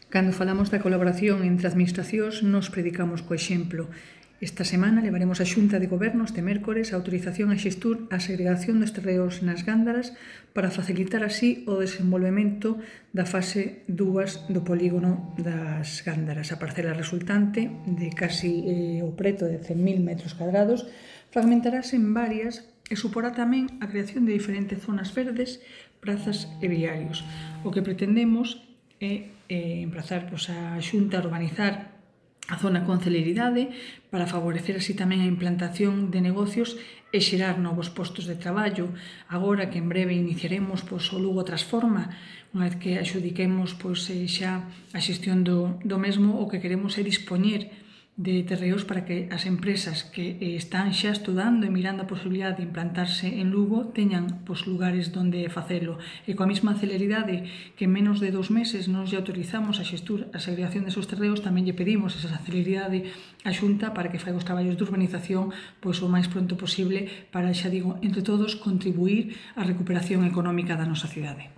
Cando falamos da colaboración entre administracións, nos predicamos co exemplo. Esta semana levaremos a Xunta de Goberno este mércores a autorización a Xestur a segregación dos terreos nas Gándaras para facilitar así o desenvolvemento da fase 2 do polígono das Gándaras. A parcela resultante, de casi o preto de 100.000 metros cuadrados, fragmentarase en varias e suporá tamén a creación de diferentes zonas verdes, prazas e viarios. O que pretendemos é emprazar a Xunta a urbanizar a zona con celeridade para favorecer así tamén a implantación de negocios e xerar novos postos de traballo. Agora que en breve iniciaremos o Lugo Transforma, unha vez que axudiquemos xa a xestión do mesmo, o que queremos é dispoñer de terreos para que as empresas que están xa estudando e mirando a posibilidade de implantarse en Lugo teñan lugares onde facelo. E coa mesma celeridade que en menos de 2 meses nos lle autorizamos a Xestur a segregación desos terreos, tamén lle pedimos esa celeridade á Xunta para que faiga os traballos de urbanización o máis pronto posible para, xa digo, entre todos, contribuir á recuperación económica da nosa cidade.